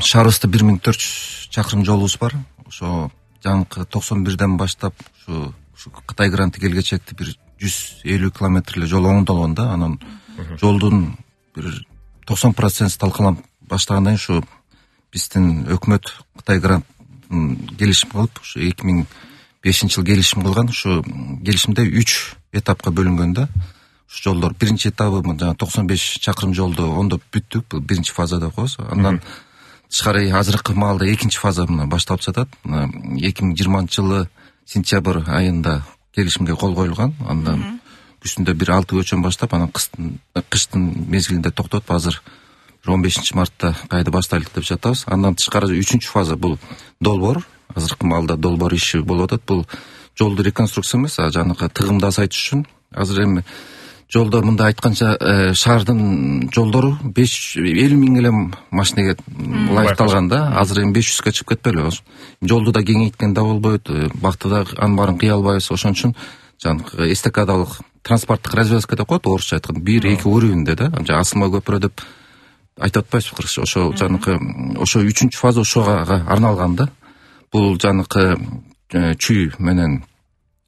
шаарыбызда 1400 чакырым жолубуз бар. Ошо жанакы 91ден баштап ушу Кытай гранты келгечекти бир 150 километр эле жол оңдолгон да. Анан жолдун бир 90% талкаланып баштагандан кийин ушу биздин өкмөт Кытай грант келишим кылып, ушу 2005-жылы келишим кылган. Ушу келишимде 3 этапка бөлүнгөн да. Ушу жолдор биринчи этабы жана 95 чакырым жолду оңдоп бүттүк. Бул биринчи фаза деп коебуз. Андан тышкары азыркы маалда экинчи фаза башталып жатат. 2020-жылы сентябрь айында келишимге кол коюлган. Андан күзүндө бир 6 көчөн баштап, анан кыштын мезгилинде токтотуп, азыр 15-мартта кайда баштайлык деп жатабыз. Андан тышкары 3-чү фаза бул долбоор. Азыркы маалда долбоор иши болуп атат. Бул жолду реконструкция эмес, жанакы тыгымды азайтыш үчүн. Азыр эми жолдор мындай айтканча шаардын жолдору 50 миң эле машинеге ылайыкталган да. Азыр эми 500га чыгып кетпейлиби? Жолду да кеңейткен да болбойт, бакты да анын баарын кыя албайбыз. Ошон үчүн жанакы эстакадалык транспорттук развязка деп коет, орусча айтканда, 1-2 уровеньде да. Асылма көпүрө деп айтып атпайсызбы кыргызча? Ошо жанакы ошо 3-чү фаза ошого арналган да. Бул жанакы Чүй менен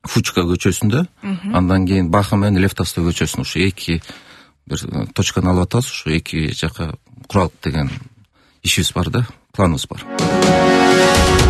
Фучка көчөсүндө, андан кийин Баха менен Лефтастой көчөсүндө ушу эки бир точканы алып атабыз. Ушу эки жака куралык деген ишибиз бар да, планыбыз бар.